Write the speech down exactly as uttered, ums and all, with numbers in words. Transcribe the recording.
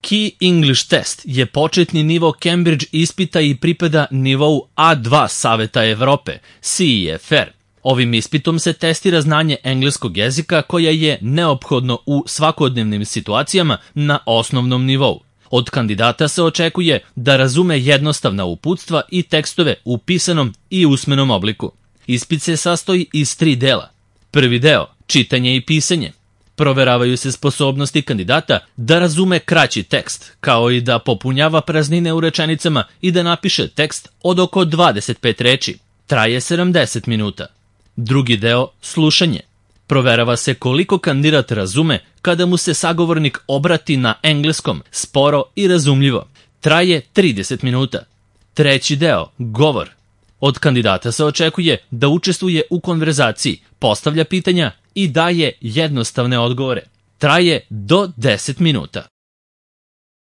Key English Test je početni nivo Cambridge ispita i pripada nivou A dva Saveta Evrope, C E F R. Ovim ispitom se testira znanje engleskog jezika koje je neophodno u svakodnevnim situacijama na osnovnom nivou. Od kandidata se očekuje da razume jednostavna uputstva i tekstove u pisanom i usmenom obliku. Ispit se sastoji iz tri dela. Prvi deo, čitanje i pisanje. Proveravaju se sposobnosti kandidata da razume kraći tekst, kao i da popunjava praznine u rečenicama i da napiše tekst od oko dvadeset pet reči. Traje sedamdeset minuta. Drugi deo, slušanje. Proverava se koliko kandidat razume kada mu se sagovornik obrati na engleskom, sporo i razumljivo. Traje trideset minuta. Treći deo, govor. Od kandidata se očekuje da učestvuje u konverzaciji, postavlja pitanja i daje jednostavne odgovore. Traje do deset minuta.